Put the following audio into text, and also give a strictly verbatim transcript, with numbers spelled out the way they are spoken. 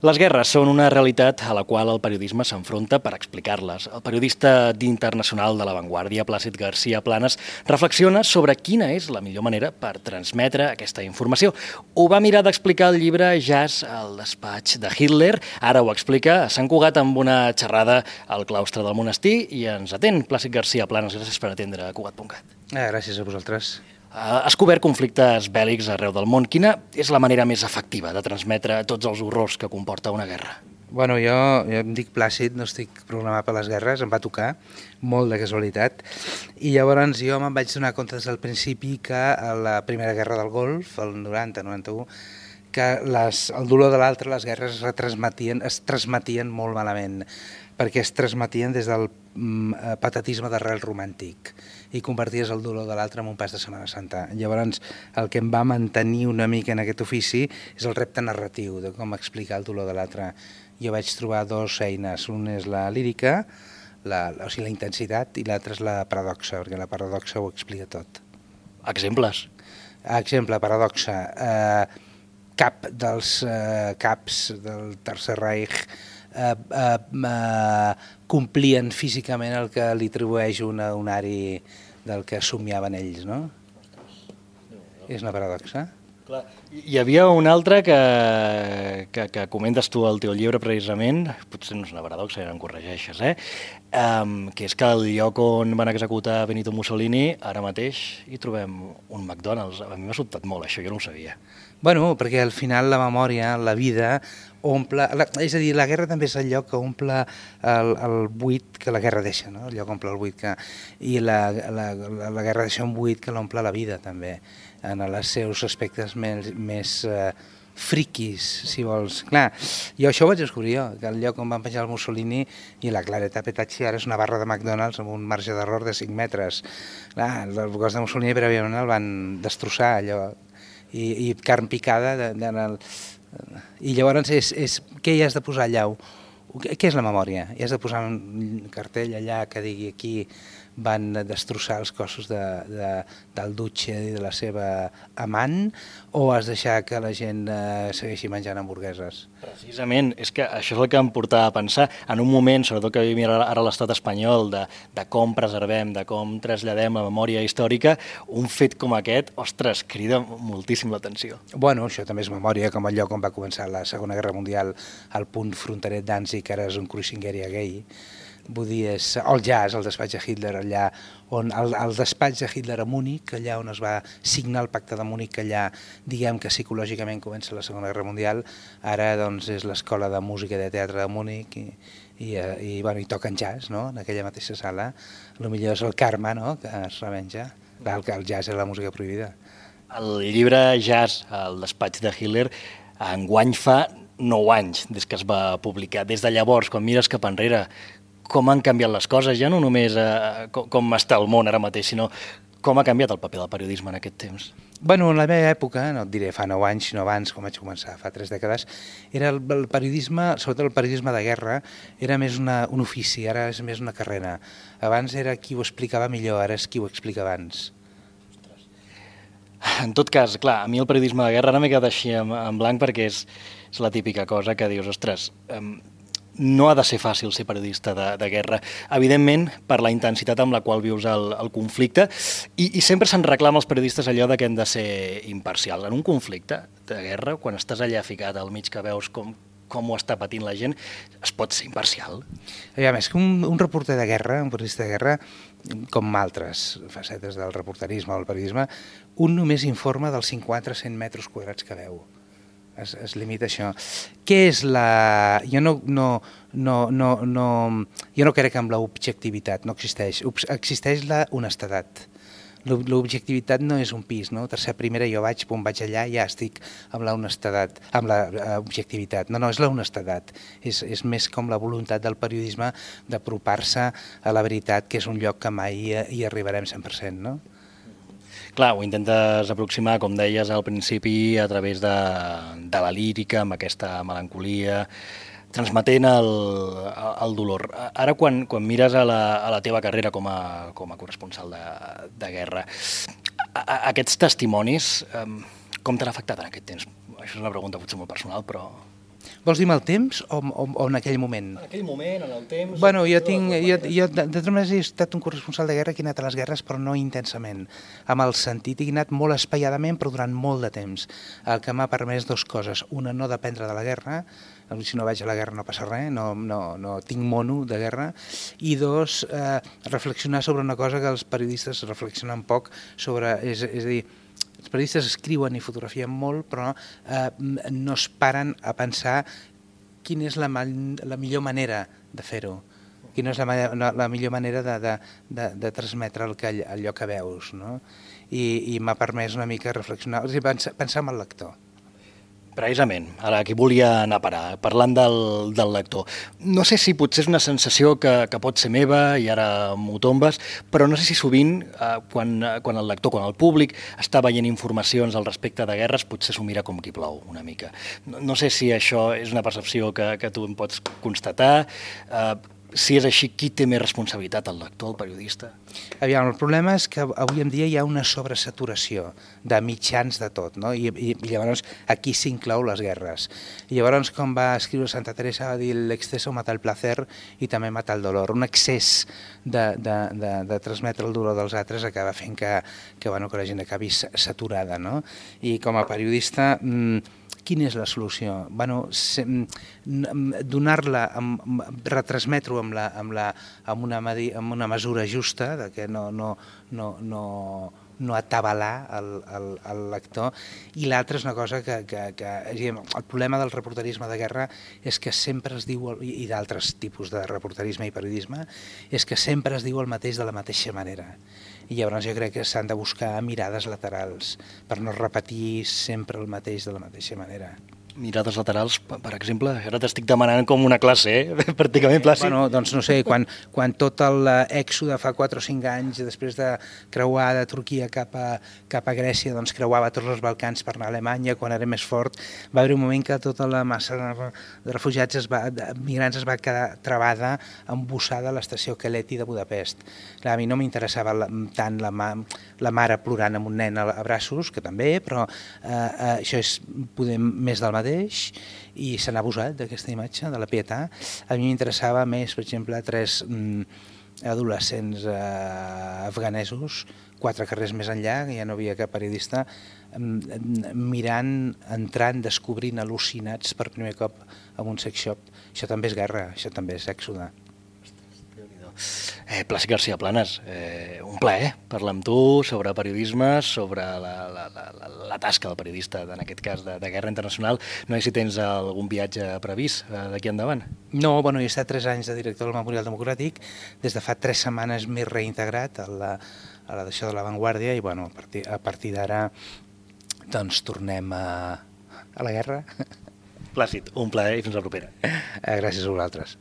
Les guerres són una realitat a la qual el periodisme s'enfronta per explicar-les. El periodista d'internacional de La Vanguardia, Plàcid García Planas, reflexiona sobre quina és la millor manera per transmetre aquesta informació. Ho va mirar d'explicar el llibre Jazz al despatx de Hitler, ara ho explica a Sant Cugat amb una xerrada al claustre del monestir i ens atén Plàcid García Planas. Gràcies per atendre Cugat punt cat. Eh, gràcies a vosaltres. Has cobert conflictes bèl·lics arreu del món. Quina és la manera més efectiva de transmetre tots els horrors que comporta una guerra? Bueno, jo, jo em dic Plàcid, no estic programat per les guerres, em va tocar, molt de casualitat, i llavors jo me'n vaig donar compte des del principi que a la Primera Guerra del Golf, el noranta noranta u, que les, el dolor de l'altre, les guerres es retransmetien, es transmetien molt malament, perquè es transmetien des del mm, patatisme d'arrel romàntic i converties el dolor de l'altre en un pas de Setmana Santa. Llavors, el que em va mantenir una mica en aquest ofici és el repte narratiu de com explicar el dolor de l'altre. Jo vaig trobar dues eines, una és la lírica, la, o sigui, la intensitat, i l'altra és la paradoxa, perquè la paradoxa ho explica tot. Exemples? Exemple, paradoxa. Eh, cap dels eh, caps del Tercer Reich Eh, eh, eh, complien físicament el que li atribueix un unari del que somiaven ells, no? És una paradoxa. Clar. Hi havia un altre que, que, que comentes tu al teu llibre precisament, potser no és una paradoxa, ja em corregeixes, eh? Um, que és que al lloc on van executar Benito Mussolini, ara mateix hi trobem un McDonald's. A mi m'ha sobtat molt això, jo no ho sabia. Bueno, perquè al final la memòria, la vida, omple... La, és a dir, la guerra també és el lloc que omple el, el buit que la guerra deixa, no? El lloc omple el buit que... I la, la, la, la guerra deixa un buit que l'omple la vida, també, en els seus aspectes més, més uh, friquis, si vols. Clar, jo això ho vaig descobrir jo, que el lloc on van penjar el Mussolini i la Claretta Petacci ara és una barra de McDonald's amb un marge d'error de cinc metres. Clar, el cos de Mussolini prèviament el van destrossar, allò... I, i carn picada de, de, de, i llavors és, és què hi has de posar allà? Què és la memòria? Hi has de posar un cartell allà que digui aquí van destrossar els cossos de, de, del Duce i de la seva amant, o has deixar que la gent eh, segueixi menjant hamburgueses? Precisament, és que això és el que em portava a pensar, en un moment, sobretot que vivim ara a l'estat espanyol, de, de com preservem, de com traslladem la memòria històrica, un fet com aquest, ostres, crida moltíssim l'atenció. Bueno, això també és memòria, com el lloc on va començar la Segona Guerra Mundial, al punt fronterer Danzig, que ara és un cruising area gay. Vull dir, és el jazz, el despatx de Hitler, allà on el, el despatx de Hitler a Múnich, allà on es va signar el pacte de Múnich, allà diguem que psicològicament comença la Segona Guerra Mundial, ara doncs és l'escola de música i de teatre de Múnich i, i, i, bueno, i toquen jazz, no?, en aquella mateixa sala. Potser és el karma, no?, que es revenja. Clar, que el jazz és la música prohibida. El llibre Jazz al despatx de Hitler enguany fa nou anys des que es va publicar. Des de llavors, quan mires cap enrere, com han canviat les coses, ja no només eh, com, com està el món ara mateix, sinó com ha canviat el paper del periodisme en aquest temps? Bueno, en la meva època, no et diré fa nou anys, sinó abans, com vaig començar, fa tres dècades, era el, el periodisme, sobretot el periodisme de guerra, era més una, un ofici, ara és més una carrera. Abans era qui ho explicava millor, ara és qui ho explica abans. En tot cas, clar, a mi el periodisme de guerra ara m'he quedat així en, en blanc perquè és, és la típica cosa que dius, ostres, eh, no ha de ser fàcil ser periodista de, de guerra, evidentment per la intensitat amb la qual vius el, el conflicte, i, i sempre se'n reclama als periodistes allò de que hem de ser imparcials. En un conflicte de guerra, quan estàs allà ficat al mig que veus com, com ho està patint la gent, es pot ser imparcial? A més, que un, un reporter de guerra, un periodista de guerra, com altres facetes del reporterisme o del periodisme, un només informa dels cinquanta a cent metres quadrats que veu. Es, es limita a això. Què és la... Jo no, no, no, no, no, jo no crec en l'objectivitat, no existeix. Existeix la honestedat. L'objectivitat no és un pis, no? Tercera, primera, jo vaig, pum, vaig allà, ja estic amb la honestedat, amb l'objectivitat. No, no, és la honestedat. És, és més com la voluntat del periodisme d'apropar-se a la veritat, que és un lloc que mai hi arribarem cent per cent, no? Clar, ho intentes aproximar, com deies al principi, a través de, de la lírica, amb aquesta melancolia, transmetent el, el dolor. Ara, quan, quan mires a la, a la teva carrera com a, com a corresponsal de, de guerra, a, a, aquests testimonis, com t'han afectat en aquest temps? Això és una pregunta potser molt personal, però... Vols dir amb el temps o, o, o en aquell moment? En aquell moment, en el temps... Bueno, jo tinc... Jo, jo de, de totes maneres he estat un corresponsal de guerra que he anat a les guerres, però no intensament. Amb el sentit, he anat molt espaiadament, però durant molt de temps. El que m'ha permès dues coses. Una, no dependre de la guerra. Si no vaig a la guerra no passa res, no, no, no tinc mono de guerra. I dos, eh, reflexionar sobre una cosa que els periodistes reflexionen poc sobre... És, és a dir, els periodistes escriuen i fotografien molt, però eh, no es paren a pensar quina és la, la millor manera de fer-ho, quina és la, la, la millor manera de, de, de, de transmetre el que, allò que veus, no? I, i m'ha permès una mica reflexionar, o sigui, pensar, pensar en el lector. Precisament, ara aquí volia anar a parar, parlant del, del lector. No sé si potser és una sensació que, que pot ser meva i ara m'ho tombes, però no sé si sovint, eh, quan, quan el lector, quan el públic està veient informacions al respecte de guerres, potser s'ho mira com qui plou una mica. No, no sé si això és una percepció que, que tu em pots constatar. Eh, si és així, qui té més responsabilitat, el lector, el periodista? Aviam, el problema és que avui en dia hi ha una sobresaturació de mitjans de tot, no? I, i, i llavors aquí s'inclou les guerres. I llavors, com va escriure Santa Teresa, va dir l'exceso mata el placer i també mata el dolor. Un excés de, de, de, de transmetre el dolor dels altres acaba fent que, que, bueno, que la gent acabi saturada, no? I com a periodista... Mmm, quina és la solució? Bueno, donar-la, retransmetre-ho amb, la, amb, la, amb, una, amb una mesura justa, de que no, no, no, no, no atabalar el, el, el lector, i l'altra és una cosa que, que, que... El problema del reporterisme de guerra és que sempre es diu, i d'altres tipus de reporterisme i periodisme, és que sempre es diu el mateix de la mateixa manera. I llavors jo crec que s'han de buscar mirades laterals per no repetir sempre el mateix de la mateixa manera. Mirades laterals, per exemple? Ara t'estic demanant com una classe, eh? Pràcticament plàcid. Bueno, doncs no sé, quan, quan tot l'èxode fa quatre o cinc anys, després de creuar de Turquia cap a, cap a Grècia, doncs creuava tots els Balcans per anar a Alemanya, quan era més fort, va haver un moment que tota la massa de refugiats, es va, de migrants es va quedar travada, embussada a l'estació Keleti de Budapest. Clar, a mi no m'interessava tant la, ma, la mare plorant amb un nen a braços, que també, però eh, eh, això és poder més del mateix, i se n'ha abusat d'aquesta imatge, de la Pietà. A mi m'interessava més, per exemple, tres mm, adolescents eh, afganesos, quatre carrers més enllà, que ja no havia cap periodista, mm, mirant, entrant, descobrint, al·lucinats per primer cop en un sex shop. Això també és guerra, això també és èxode. Eh, Plàcid García Planas, eh, un plaer parlar amb tu sobre periodisme, sobre la, la, la, la tasca del periodista, en aquest cas de, de guerra internacional. No sé si tens algun viatge previst eh, d'aquí endavant. No, bueno, he estat tres anys de director del Memorial Democràtic, des de fa tres setmanes m'he reintegrat a la, a la d'això de La Vanguardia i bueno, a partir, a partir d'ara doncs tornem a, a la guerra. Plàcid, un plaer i fins la propera. Gràcies a vosaltres.